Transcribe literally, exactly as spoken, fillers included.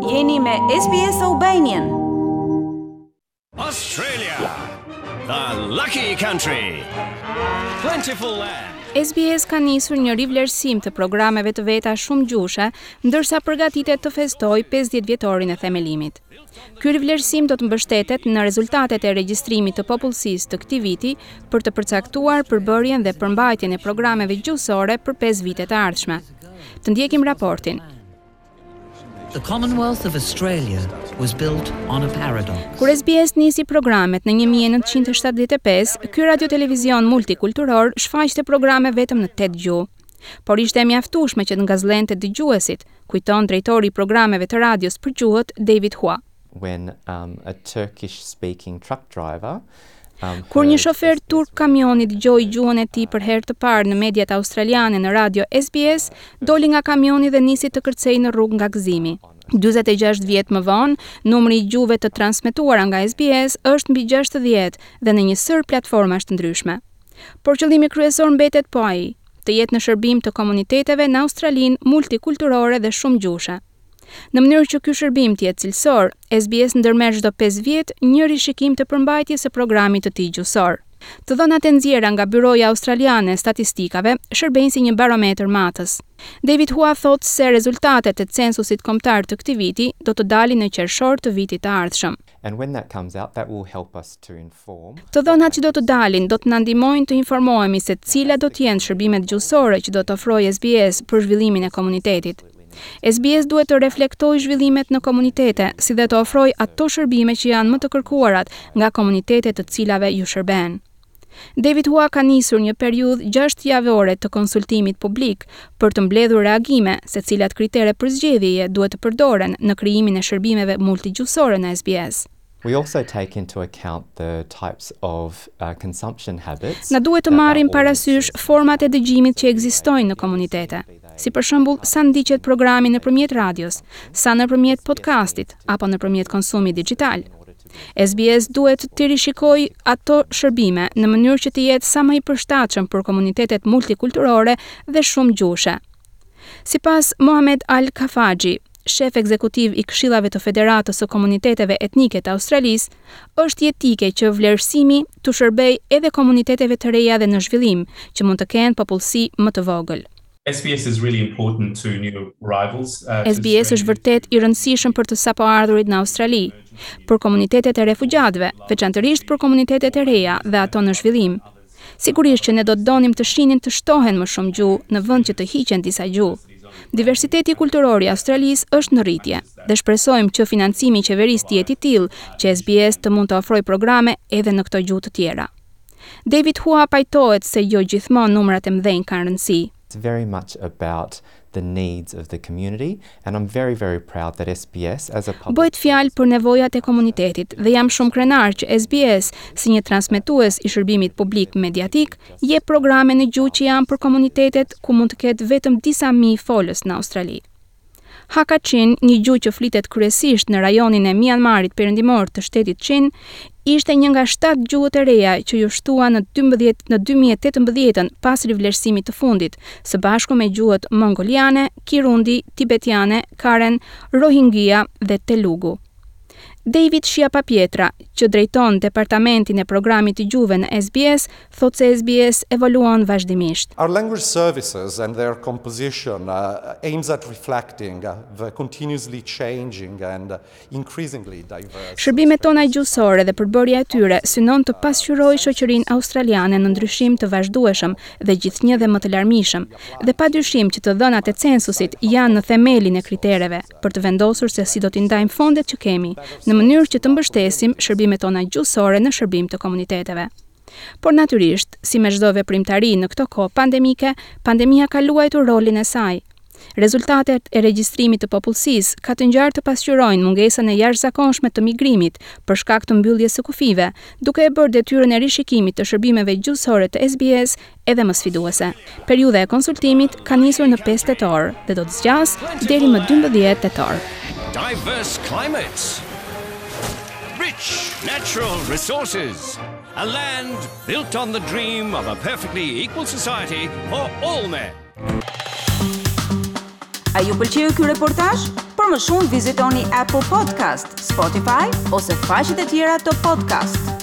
Jeni me S B S Albanian. Australia, the lucky country. Plentiful land. S B S ka nisur një rivlerësim të programeve të veta shumëgjuhëshe, ndërsa përgatitet të festojë pesëdhjetë vjetorin e themelimit. Ky rivlerësim do të mbështetet në rezultatet e regjistrimit të popullsisë të këtij viti për të përcaktuar përbërjen dhe përmbajtjen e programeve gjuhësore për pesë vitet e ardhshme. Të ndjekim raportin. The Commonwealth of Australia was built on a paradox. Kur S B S nisi programet në një mijë e nëntëqind e shtatëdhjetë e pesë, ky radiotelevizion multikulturor shfaqte programe vetëm në tetë gjuhë. Por ishte e mjaftueshme që të ngazëllente dëgjuesit, kujton drejtori i programeve të radios për gjuhët, David Hua. When um, a Turkish speaking truck driver um, Kur një heard shofer turk kamioni dëgjoi gjuhën e tij për herë të parë në mediat australiane në radio S B S, doli nga kamioni dhe nisi të kërcejë në rrugë nga gëzimi. dyzet e gjashtë vjet më vonë, numri i gjuhëve të transmetuara nga S B S është mbi gjashtëdhjetë dhe në një sërë platformash të ndryshme. Por qëllimi kryesor mbetet po ai, të jetë në shërbim të komuniteteve në Australinë multikulturore dhe shumëgjuhëshe. Në mënyrë që ky shërbim të jetë cilësor, S B S ndërmerr çdo pesë vjet një rishikim të përmbajtjes së programit të tij gjuhësor. Të dhënat e nxjerra nga Byroja Australiane e Statistikave shërbejnë si një barometër matës. David Hua thotë se rezultatet e censusit kombëtar të këtij viti do të dalin në qershor të vitit të ardhshëm. And when that comes out, that will help us to inform Të dhënat që do të dalin do të na ndihmojnë të informohemi se cilat do të jenë shërbimet gjuhësore që do të ofrojë S B S për zhvillimin e komunitetit. S B S duhet të reflektojë zhvillimet në komunitete, si dhe të ofrojë ato shërbime që janë më të kërkuarat nga komunitetet të cilave ju shërben. David Hua ka nisur një periudhë gjashtë javore të konsultimit publik për të mbledhur reagime se cilat kritere përzgjedhjeje duhet të përdoren në krijimin e shërbimeve multigjuhësore në S B S. We also take into account the types of uh, consumption habits Na duhet të that our marrim parasysh audiences format e dëgjimit që ekzistojnë në komunitete. Si për shembull, sa ndiqet programi nëpërmjet radios, sa nëpërmjet podcastit apo nëpërmjet konsumit digital. S B S duhet të rishikojë ato shërbime në mënyrë që të jetë sa më i përshtatshëm për komunitetet multikulturore dhe shumëgjuhëshe. Sipas Mohamed Al Khafaji, shef ekzekutiv i Këshillave të Federatës së Komuniteteve Etnike të Australisë, është jetike që vlerësimi të shërbejë edhe komuniteteve të reja dhe në zhvillim, që mund të kenë popullsi më të vogël. S B S is really important to new arrivals. Uh, to S B S është Australia. vërtet i rëndësishëm për të sapo ardhurit në Australi, për komunitetet e refugjatëve, veçanërisht për komunitetet e reja dhe ato në zhvillim. Sigurisht që ne do të donim të shihnim të shtohen më shumë gjuhë në vend që të hiqen disa gjuhë. Diversiteti kulturor i Australisë është në rritje dhe shpresojmë që financimi i qeverisë të jetë i tillë që S B S të mund të ofrojë programe edhe në këto gjuhë të tjera. David Hua pajtohet se jo gjithmonë numrat e mëdhenj kanë rëndësi. It's very much about the needs of the community, and I'm very, very proud that S B S, as a public Bëhet fjalë për nevojat e komunitetit dhe jam shumë krenar që S B S, si një transmetues i shërbimit publik mediatik, jep programe në gjuhë që janë për komunitetet ku mund të ketë vetëm disa mijë folës në Australi. Hakha Chin, një gjuhë që flitet kryesisht në rajonin e Myanmarit perëndimor të shtetit Chin, ishte një nga shtatë gjuhët e reja që ju shtua në dymbëdhjetë në dy mijë e tetëmbëdhjetën pas rivlerësimit të fundit, së bashku me gjuhët mongoliane, Kirundi, tibetiane, Karen, Rohingya dhe Telugu. David Schiappapietra, që drejton departamentin e programit të gjuhëve në S B S, thotë se S B S evoluon vazhdimisht. Our language services and their composition uh, aims at reflecting uh, the continuously changing and uh, increasingly diverse Shërbimet tona gjuhësore dhe përbërja e tyre synon të pasqyrojë shoqërinë australiane në ndryshim të vazhdueshëm dhe gjithnjë dhe më të larmishëm, dhe padyshim që të dhënat e censusit janë në themelin e kritereve për të vendosur se si do t'i ndajmë fondet që kemi, në mënyrë që të mbështesim shërbimet tona gjuhësore në shërbim të komuniteteve. Por natyrisht, si me çdo veprimtari në këto kohë pandemike, pandemia ka luajtur rolin e saj. Rezultatet e regjistrimit të popullsisë ka të ngjarë të pasqyrojnë mungesën e jashtëzakonshme të migrimit për shkak të mbylljes së kufijve, duke e bërë detyrën e rishikimit të shërbimeve gjuhësore të S B S edhe më sfiduese. Periudha e konsultimit ka nisur në pesë tetor dhe do të zgjasë deri më dymbëdhjetë tetor. Diverse climates. Rich natural resources. A land built on the dream of a perfectly equal society for all men. A ju pëlqeu ky reportazh? Për Për më shumë vizitoni Apple Podcast, Spotify ose faqet e tjera të podcast.